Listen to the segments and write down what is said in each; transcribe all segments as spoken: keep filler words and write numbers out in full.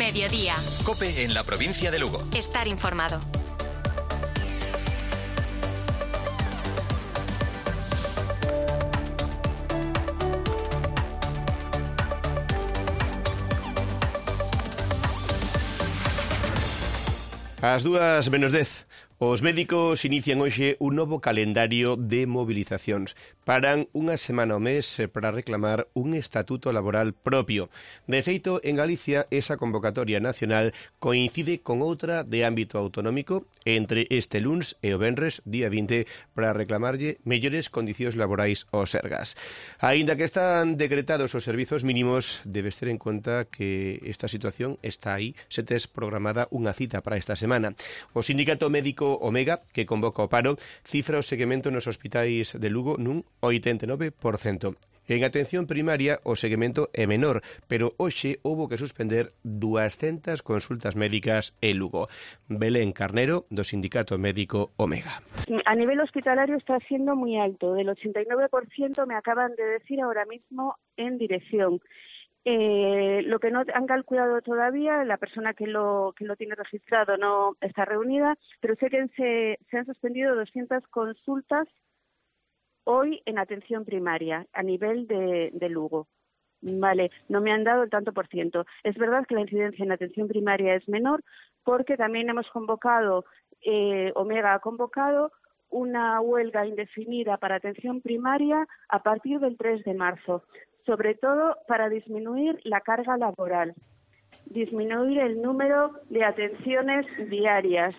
Mediodía. COPE en la provincia de Lugo. Estar informado. Ás dúas menos dez, os médicos inician hoxe un novo calendario de mobilizacións. Paran unha semana ao mes para reclamar un estatuto laboral propio. De feito, en Galicia, esa convocatoria nacional coincide con outra de ámbito autonómico entre este luns e o venres, día vinte, para reclamarlle mellores condicións laborais aos sergas. Aínda que están decretados os servizos mínimos, debes ter en conta que esta situación está aí, se tes programada unha cita para esta semana. O sindicato médico Omega, que convoca o paro, cifra o seguimento nos hospitais de Lugo nun oitenta e nove por cento. En atención primaria o seguimento é menor, pero hoxe houbo que suspender duascentas consultas médicas en Lugo. Belén Carnero, do sindicato médico Omega. A nivel hospitalario está siendo muy alto, del ochenta y nueve por ciento me acaban de decir ahora mismo en dirección. Eh, lo que no han calculado todavía, la persona que lo que lo tiene registrado no está reunida, pero sé que se, se han suspendido doscientas consultas hoy en atención primaria a nivel de, de Lugo. Vale, no me han dado el tanto por ciento. Es verdad que la incidencia en atención primaria es menor porque también hemos convocado, eh, Omega ha convocado una huelga indefinida para atención primaria a partir del tres de marzo. Sobre todo para disminuir la carga laboral, disminuir el número de atenciones diarias.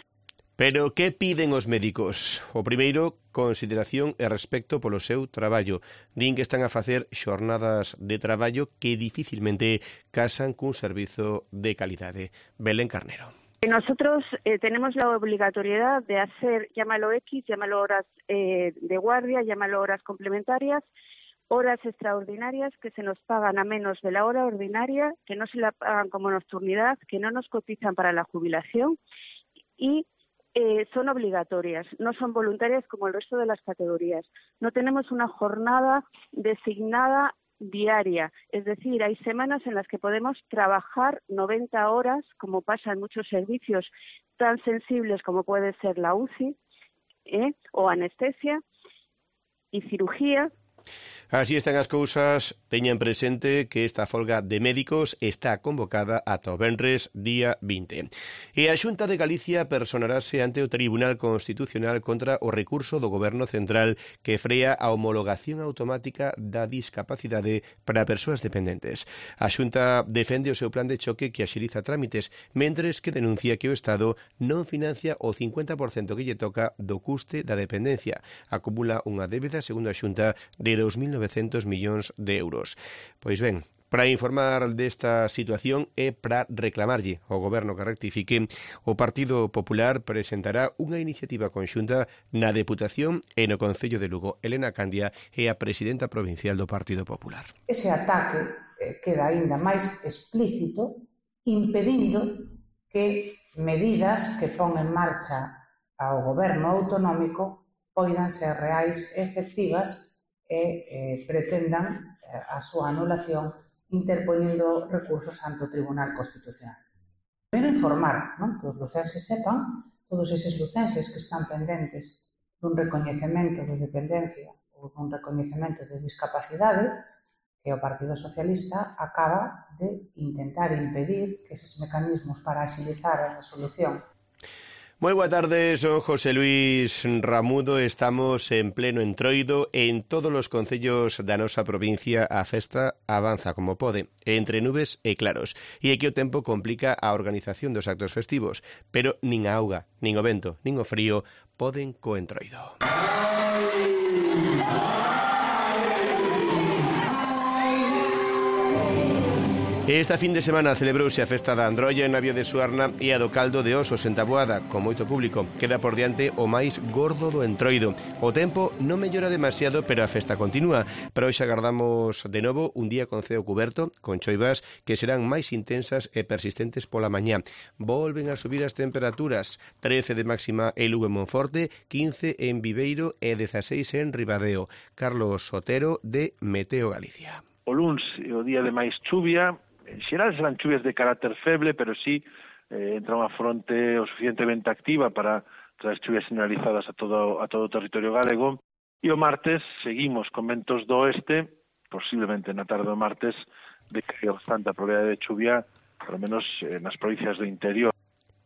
Pero que piden os médicos? O primeiro, consideración e respecto polo seu traballo. Din que están a facer xornadas de traballo que dificilmente casan cun servizo de calidade. Belén Carnero. Nosotros eh, tenemos la obligatoriedad de hacer, llámalo X, llámalo horas eh, de guardia, llámalo horas complementarias, horas extraordinarias que se nos pagan a menos de la hora ordinaria, que no se la pagan como nocturnidad, que no nos cotizan para la jubilación y eh, son obligatorias, no son voluntarias como el resto de las categorías. No tenemos una jornada designada diaria, es decir, hay semanas en las que podemos trabajar noventa horas, como pasa en muchos servicios tan sensibles como puede ser la U C I, ¿eh? o anestesia y cirugía. Así están as cousas. Teñan presente que esta folga de médicos está convocada ata o venres día vinte. E a Xunta de Galicia personarase ante o Tribunal Constitucional contra o recurso do Goberno Central que frea a homologación automática da discapacidade para persoas dependentes. A Xunta defende o seu plan de choque que axiliza trámites, mentres que denuncia que o Estado non financia o cincuenta por cento que lle toca do custe da dependencia. Acumula unha débeda, segundo a Xunta, de dos mil novecentos millóns de euros. Pois ben, para informar desta situación e para reclamarlle ao Goberno que rectifique, o Partido Popular presentará unha iniciativa conxunta na Deputación e no Concello de Lugo. Elena Candia é a presidenta provincial do Partido Popular. Ese ataque eh, queda aínda máis explícito, impedindo que medidas que pon en marcha ao Goberno autonómico poidan ser reais e efectivas e eh, pretendan eh, a súa anulación interpoñendo recursos ante o Tribunal Constitucional. Primeiro informar, non? Que os lucenses sepan, todos eses lucenses que están pendentes dun recoñecemento de dependencia ou dun recoñecemento de discapacidade, que o Partido Socialista acaba de intentar impedir que eses mecanismos para axilizar a resolución. Moi boa tarde, son José Luis Ramudo, estamos en pleno entroido en todos os concellos da nosa provincia. A festa avanza como pode, entre nubes e claros, e é que o tempo complica a organización dos actos festivos, pero nin a auga, nin o vento, nin o frío poden co entroido. Esta fin de semana celebrouse a festa da Androlla en Navia de Suarna e a do Caldo de Osos en Taboada, con moito público. Queda por diante o máis gordo do entroido. O tempo non mellora demasiado, pero a festa continúa. Pero hoxe agardamos de novo un día con ceo cuberto, con choivas que serán máis intensas e persistentes pola mañá. Volven a subir as temperaturas. trece de máxima en Lugo e Monforte, quince en Viveiro e dezaseis en Ribadeo. Carlos Sotero, de Meteo Galicia. O luns é o día de máis chuvia, En xeral serán chuvias de carácter feble, pero sí eh, entra unha fronte o suficientemente activa para traer chuvias generalizadas a todo, a todo o territorio galego. E o martes seguimos con ventos do oeste, posiblemente na tarde do martes, de que hai bastante probabilidade de chuvia, por lo menos eh, nas provincias do interior.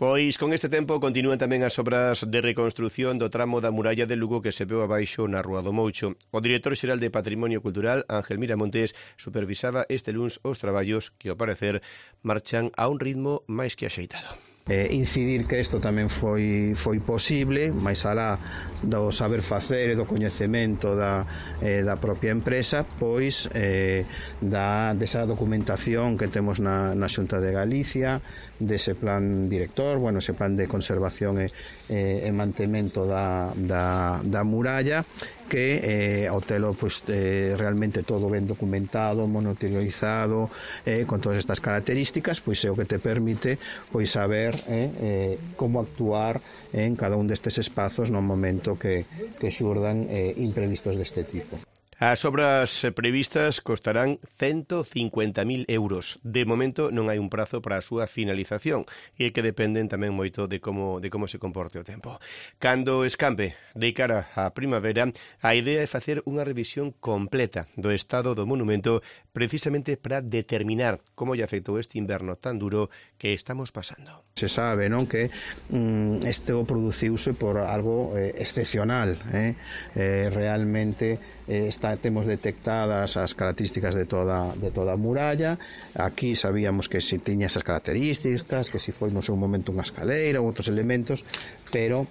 Pois con este tempo continúan tamén as obras de reconstrución do tramo da muralla de Lugo que se veu abaixo na Rúa do Moucho. O director xeral de Patrimonio Cultural, Ángel Miramontes, supervisaba este luns os traballos que, ao parecer, marchan a un ritmo máis que axeitado. Eh, incidir que isto tamén foi, foi posible, máis alá do saber facer e do coñecemento da, eh, da propia empresa, pois eh, da, desa documentación que temos na, na Xunta de Galicia, dese plan director, bueno, ese plan de conservación e, e, e mantemento da, da, da muralla, que eh, ao telo pues, eh, realmente todo ben documentado, monitorizado, eh, con todas estas características, pois é o que te permite pois saber eh, eh, como actuar en cada un destes espazos no momento que, que xurdan eh, imprevistos deste tipo. As obras previstas costarán ciento cincuenta mil euros. De momento non hai un prazo para a súa finalización e que dependen tamén moito de como, de como se comporte o tempo. Cando escampe de cara á primavera, a idea é facer unha revisión completa do estado do monumento precisamente para determinar como lle afectou este inverno tan duro que estamos pasando. Se sabe, non, que mm, este o produciuse por algo eh, excepcional, eh? Eh, realmente eh, está temos detectadas as características de toda de toda a muralla. Aquí sabíamos que se tiña esas características, que se foi no seu momento unha escaleira ou outros elementos, pero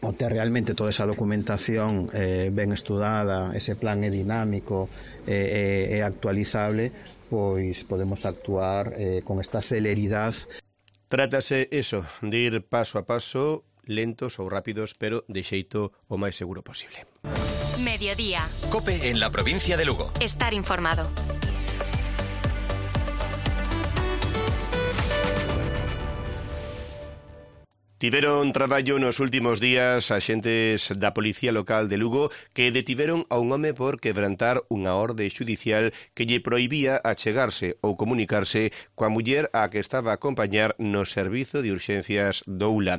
o ter realmente toda esa documentación eh, ben estudada, ese plan é dinámico e eh, eh, actualizable, pois podemos actuar eh, con esta celeridade. Trátase eso, de ir paso a paso, lentos ou rápidos, pero de xeito o máis seguro posible. Mediodía. COPE en la provincia de Lugo. Estar informado. Tiveron traballo nos últimos días axentes da Policía Local de Lugo que detiveron a un home por quebrantar unha orde xudicial que lle prohibía achegarse ou comunicarse coa muller a que estaba a acompañar no servizo de urxencias do U L A.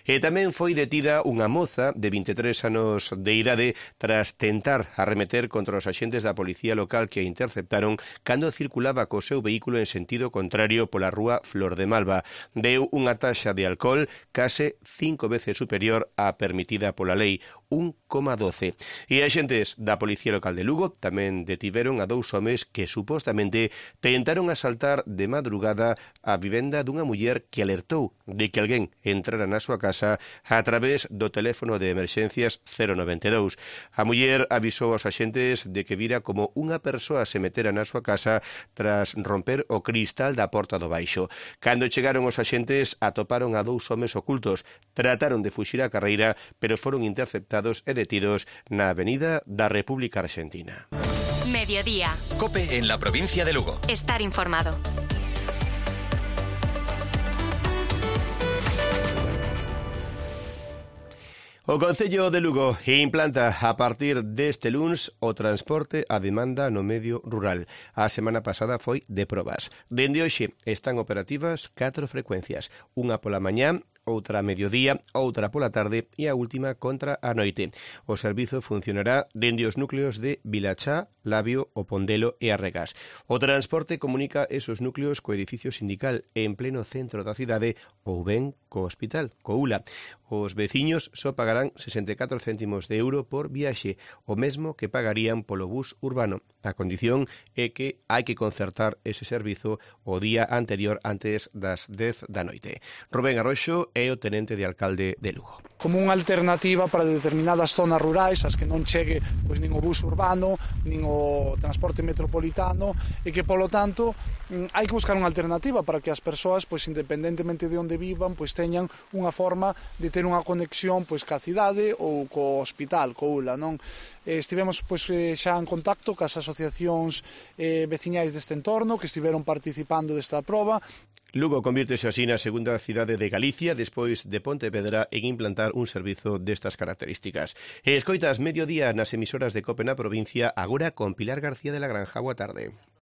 E tamén foi detida unha moza de vinte e tres anos de idade tras tentar arremeter contra os axentes da Policía Local que a interceptaron cando circulaba co seu vehículo en sentido contrario pola rúa Flor de Malva. Deu unha taxa de alcohol case cinco veces superior á permitida pola lei, un coma doce. E axentes da Policía Local de Lugo tamén detiveron a dous homes que supostamente tentaron asaltar de madrugada a vivenda dunha muller que alertou de que alguén entrara na súa casa a través do teléfono de emerxencias cero noventa e dous. A muller avisou aos axentes de que vira como unha persoa se metera na súa casa tras romper o cristal da porta do baixo. Cando chegaron os axentes atoparon a dous homes ocultos. Trataron de fuxir a carreira, pero foron interceptados e detidos na Avenida da República Argentina. Mediodía. COPE en la provincia de Lugo. Estar informado. O Concello de Lugo implanta a partir deste luns o transporte a demanda no medio rural. A semana pasada foi de probas. Dende hoxe están operativas catro frecuencias, unha pola mañá, outra a mediodía, outra pola tarde e a última contra a noite. O servizo funcionará dende os núcleos de Vilachá, Labio, O Pondelo e Arregás. O transporte comunica esos núcleos co edificio sindical en pleno centro da cidade ou ben co hospital, co U L A. Os veciños só pagarán sesenta e catro céntimos de euro por viaxe, o mesmo que pagarían polo bus urbano. A condición é que hai que concertar ese servizo o día anterior antes das dez da noite. Rubén Arroxo é o tenente de alcalde de Lugo. Como unha alternativa para determinadas zonas rurais as que non chegue pois, nin o bus urbano, nin o transporte metropolitano e que, polo tanto, hai que buscar unha alternativa para que as persoas, pois, independentemente de onde vivan, pois, teñan unha forma de ter unha conexión pois, ca cidade ou co hospital, co U L A, non? Estivemos pois, xa en contacto cas asociacións eh, veciñais deste entorno que estiveron participando desta proba. Lugo convírtese así na segunda cidade de Galicia despois de Pontevedra en implantar un servizo destas características. E escoitas Mediodía nas emisoras de COPE na provincia, agora con Pilar García de la Granja. Boa tarde.